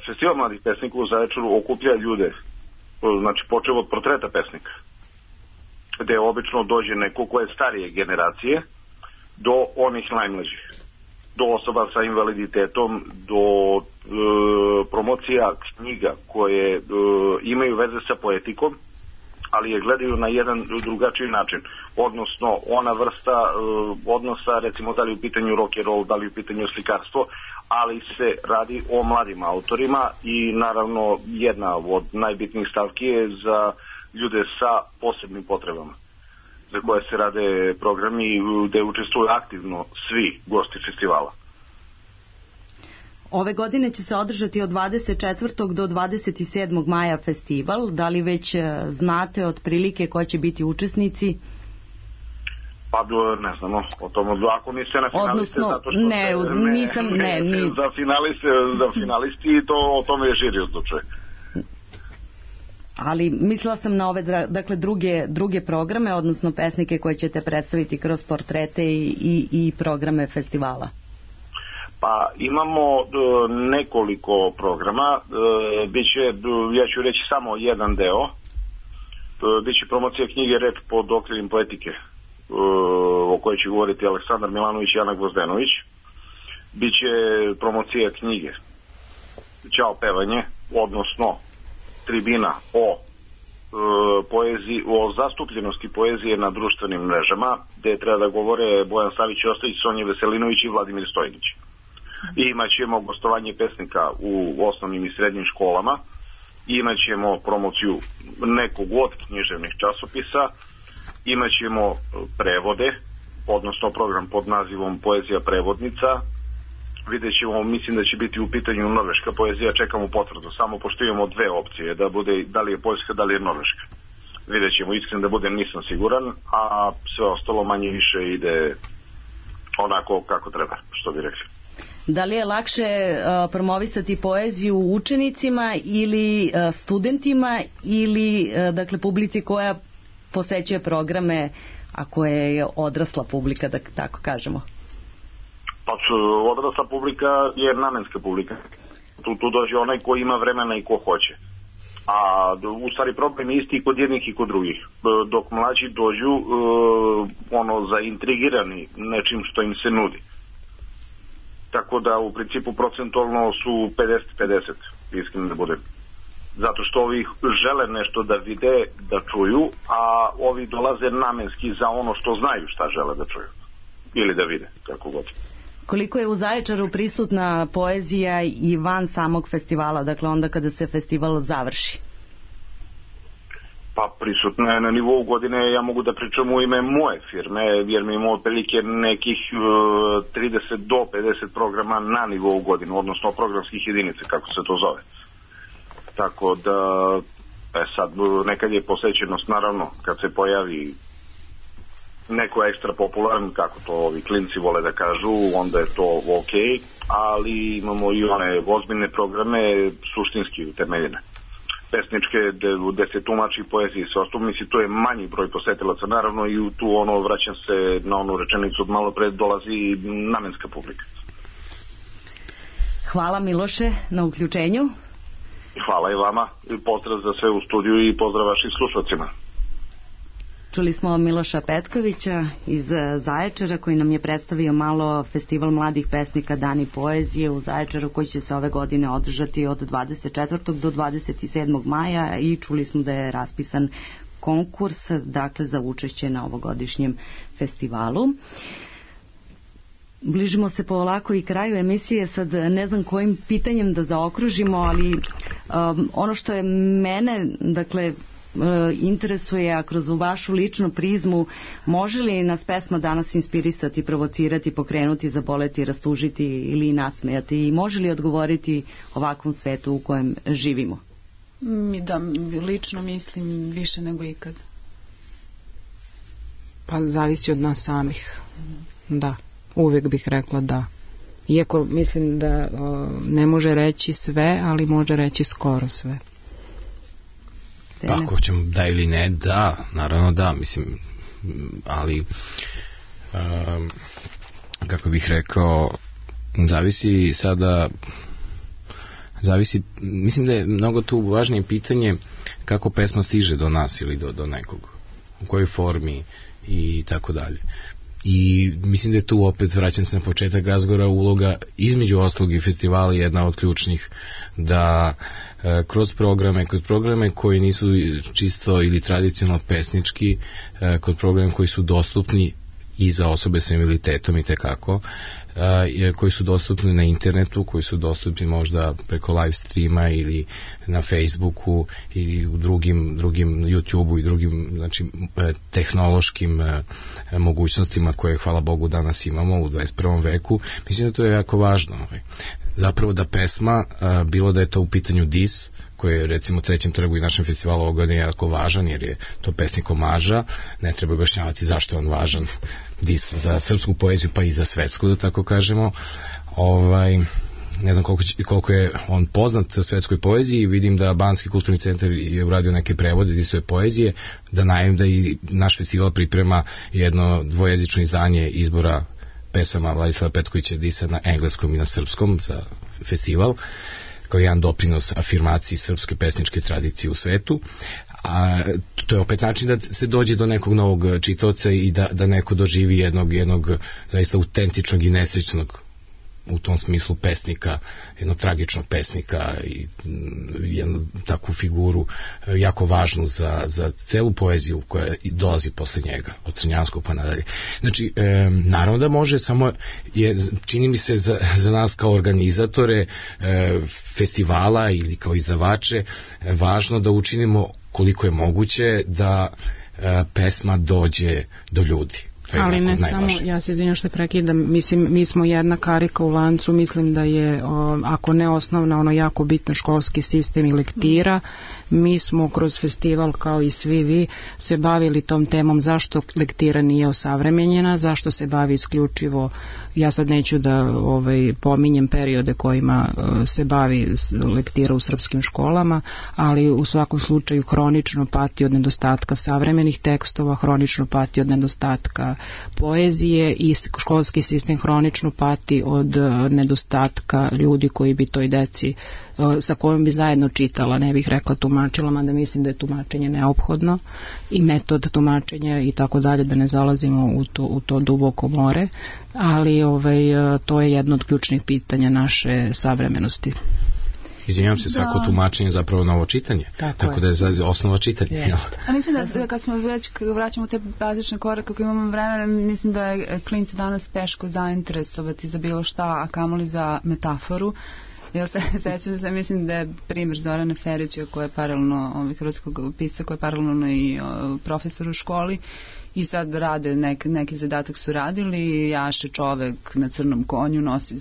Festival mladih pesnika u Zaječaru okuplja ljude, znači počeo od portreta pesnika, gde obično dođe neko ko je starije generacije do onih najmlađih, do osoba sa invaliditetom, do promocija knjiga koje imaju veze sa poetikom, ali je gledaju na jedan drugačiji način, odnosno ona vrsta odnosa, recimo da li u pitanju rock and roll, da li u pitanju slikarstvo, ali se radi o mladim autorima i naravno jedna od najbitnijih stavki je za ljude sa posebnim potrebama, za koje se rade programi gde učestvuju aktivno svi gosti festivala. Ove godine će se održati od 24. do 27. maja festival. Da li već znate otprilike ko će biti učesnici? Pa ne znamo o tom, ako niste na finaliste, zato što za finalisti to o tome je žiri odlučuje. Ali mislila sam na ove dakle druge programe, odnosno pesnike koje ćete predstaviti kroz portrete i programe festivala. Pa imamo nekoliko programa, biće, ja ću reći samo jedan deo, biće promocija knjige Reč pod okriljem poetike, o kojoj će govoriti Aleksandar Milanović i Ana Gvozdenović. Biće promocija knjige Ćao pevanje, odnosno tribina o poeziji, o zastupljenosti poezije na društvenim mrežama, gde treba da govore Bojan Savić i Ostojić, Sonja Veselinović i Vladimir Stojnić. I imaćemo gostovanje pesnika u osnovnim i srednjim školama, imaćemo promociju nekog od književnih časopisa, imaćemo prevode, odnosno program pod nazivom Poezija prevodnica. Vidjet ćemo, mislim da će biti u pitanju norveška poezija, čekamo potvrdu, samo pošto imamo dve opcije, da bude da li je poljska, da li je norveška. Vidjet ćemo, iskren da budem, nisam siguran, a sve ostalo manje više ide onako kako treba, što bi rekli. Da li je lakše promovisati poeziju učenicima ili studentima ili dakle publici koja posećuje programe, ako je odrasla publika, da tako kažemo? Pa odrasla publika je namenska publika. Tu dođe onaj ko ima vremena i ko hoće. A u stvari problem je isti i kod jednih i kod drugih. Dok mlađi dođu zaintrigirani nečim što im se nudi. Tako da u principu procentualno su 50-50, iskreno da budem. Zato što ovi žele nešto da vide, da čuju, a ovi dolaze namenski za ono što znaju šta žele da čuju. Ili da vide, kako god. Koliko je u Zaječaru prisutna poezija i van samog festivala, dakle onda kada se festival završi? Pa prisutno je na nivou godine, ja mogu da pričam u ime moje firme, jer mi imamo otprilike nekih 30 do 50 programa na nivou godine, odnosno programskih jedinica, kako se to zove. Tako da, sad nekad je posvećenost, naravno, kad se pojavi neko ekstra popularan, kako to ovi klinci vole da kažu, onda je to ok, ali imamo i one ozbiljne programe, suštinski utemeljene. Pesničke, gde se tumači poezije i sve ostalo, mislim, to je manji broj posetilaca, naravno, i tu vraćam se na onu rečenicu od malo pre, dolazi namenska publika. Hvala Miloše na uključenju. Hvala i vama, pozdrav za sve u studiju i pozdrav vašim slušalcima. Čuli smo Miloša Petkovića iz Zaječara koji nam je predstavio malo festival mladih pesnika Dani poezije u Zaječaru koji će se ove godine održati od 24. do 27. maja i čuli smo da je raspisan konkurs, dakle, za učešće na ovogodišnjem festivalu. Bližimo se polako i kraju emisije, sad ne znam kojim pitanjem da zaokružimo, ali ono što je mene, dakle, interesuje, a kroz vašu ličnu prizmu, može li nas pesma danas inspirisati, provocirati, pokrenuti, zaboleti, rastužiti ili nasmejati i može li odgovoriti ovakvom svetu u kojem živimo? Da, lično mislim više nego ikad. Pa zavisi od nas samih. Da, uvijek bih rekla da. Iako mislim da ne može reći sve, ali može reći skoro sve. Pa ako ćemo da ili ne, da, naravno da, mislim, ali kako bih rekao, mislim da je mnogo tu važnije pitanje kako pesma stiže do nas ili do nekog, u kojoj formi i tako dalje. I mislim da je tu opet, vraćam se na početak razgovora, uloga između ostalog i festivala jedna od ključnih, da kroz programe koji nisu čisto ili tradicionalno pesnički, kod programa koji su dostupni i za osobe sa invaliditetom i tekako, koji su dostupni na internetu, koji su dostupni možda preko live streama ili na Facebooku ili u drugim YouTubeu i drugim, znači, tehnološkim mogućnostima koje, hvala Bogu, danas imamo u 21. veku. Mislim da to je jako važno. Zapravo da pesma, bilo da je to u pitanju dis, koji je recimo Trećem trgu i našem festivalu ovog godine jako važan, jer je to pesnik omaža, ne treba objašnjavati zašto je on važan, dis za srpsku poeziju pa i za svetsku, da tako kažemo. Ne znam koliko je on poznat svetskoj poeziji, vidim da Banski kulturni centar je uradio neke prevode disove poezije, da najavim da i naš festival priprema jedno dvojezično izdanje izbora pesama Vladislava Petkovića Disa na engleskom i na srpskom za festival, kao jedan doprinos afirmaciji srpske pesničke tradicije u svetu. A to je opet način da se dođe do nekog novog čitaoca i da neko doživi jednog zaista autentičnog i nesrećnog u tom smislu pesnika, jednog tragičnog pesnika i jednu takvu figuru jako važnu za celu poeziju koja dolazi posle njega, od Crnjanskog pa nadalje. Znači, naravno da može, samo je, čini mi se za nas kao organizatore festivala ili kao izdavače važno da učinimo koliko je moguće da pesma dođe do ljudi. Ali ne samo, ja se izvinjam što prekidam, mislim, mi smo jedna karika u lancu, mislim da je, ako ne osnovna, ono jako bitno školski sistem i lektira. Mi smo kroz festival, kao i svi vi, se bavili tom temom zašto lektira nije osavremenjena, zašto se bavi isključivo, ja sad neću da pominjem periode kojima se bavi lektira u srpskim školama, ali u svakom slučaju hronično pati od nedostatka savremenih tekstova, hronično pati od nedostatka poezije i školski sistem hronično pati od nedostatka ljudi koji bi toj deci sa kojom bi zajedno čitala, ne bih rekla tumačila, mada mislim da je tumačenje neophodno i metod tumačenja i tako dalje, da ne zalazimo u to duboko more, ali to je jedno od ključnih pitanja naše savremenosti. izvinjam se, svako tumačenje je zapravo novo čitanje. Tako da je osnova čitanja. A mislim da kad smo već vraćamo te bazične korake, kako imamo vremena, mislim da je klinci danas teško zainteresovati za bilo šta, a kamoli za metaforu. Ja se sećam da mislim da je primjer Zorana Ferića, koja je paralelno hrvatskog pisca, koja je paralelno i profesor u školi, i sad rade neki zadatak su radili, jaše čovek na crnom konju, nosi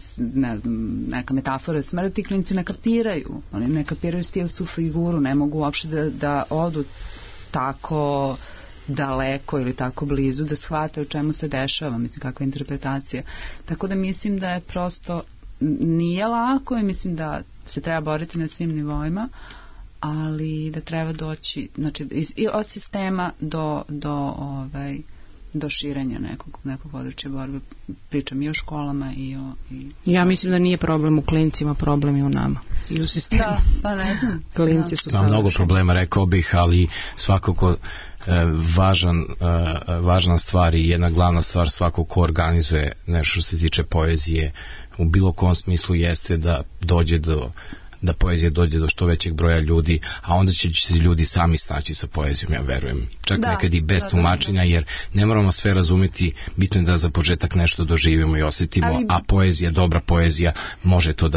neka metafora smrti, klinci ne kapiraju, oni ne kapiraju stilsku figuru, ne mogu uopšte da odu tako daleko ili tako blizu da shvate o čemu se dešava, mislim kakva interpretacija. Tako da mislim da je prosto nije lako i mislim da se treba boriti na svim nivoima, ali da treba doći, znači, od sistema do širenja nekog područja borbe. Pričam i o školama i o... Ja mislim da nije problem u klincima, problem je u nama i u sistemu. Da, pa ne znam. Klinci su savršeni. Mnogo problema, rekao bih, ali svakako važna stvar i jedna glavna stvar svako ko organizuje nešto što se tiče poezije u bilo kom smislu jeste da poezija dođe do što većeg broja ljudi, a onda će se ljudi sami snaći sa poezijom, ja verujem. Čak nekad i bez tumačenja, jer ne moramo sve razumeti, bitno je da za početak nešto doživimo i osjetimo, a poezija, dobra poezija, može to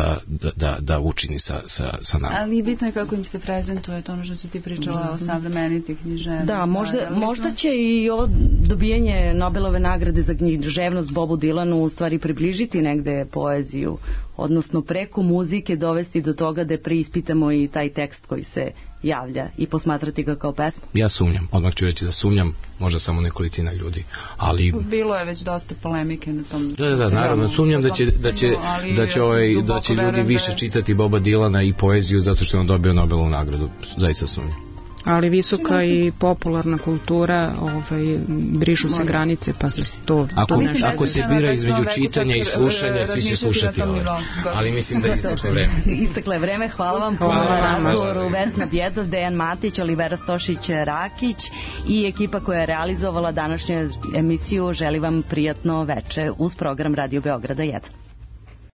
da učini sa nama. Ali bitno je kako im se prezentuje, to ono što si ti pričala o savremeniti književnosti. Da, možda će i ovo dobijanje Nobelove nagrade za književnost Bobu Dylanu u stvari približiti negde poeziju, odnosno preko muzike dovesti do toga da preispitamo i taj tekst koji se javlja i posmatrati ga kao pesmu. Ja sumnjam, odmah ću reći da sumnjam, možda samo nekolicina ljudi, ali... Bilo je već dosta polemike na tom... Da, naravno, sumnjam da će ljudi više čitati Boba Dylana i poeziju zato što je on dobio Nobelovu nagradu, zaista sumnjam. Ali visoka i popularna kultura, brišu se granice, pa se to... Ako se bira između čitanja i slušanja, svi će slušati ovo. Ali mislim da je isteklo vreme. Isteklo je vreme, hvala vam puno na razgovoru. Vesna Bjedov, Dejan Matić, Olivera Stošić-Rakić i ekipa koja je realizovala današnju emisiju. Želim vam prijatno veče uz program Radio Beograda 1.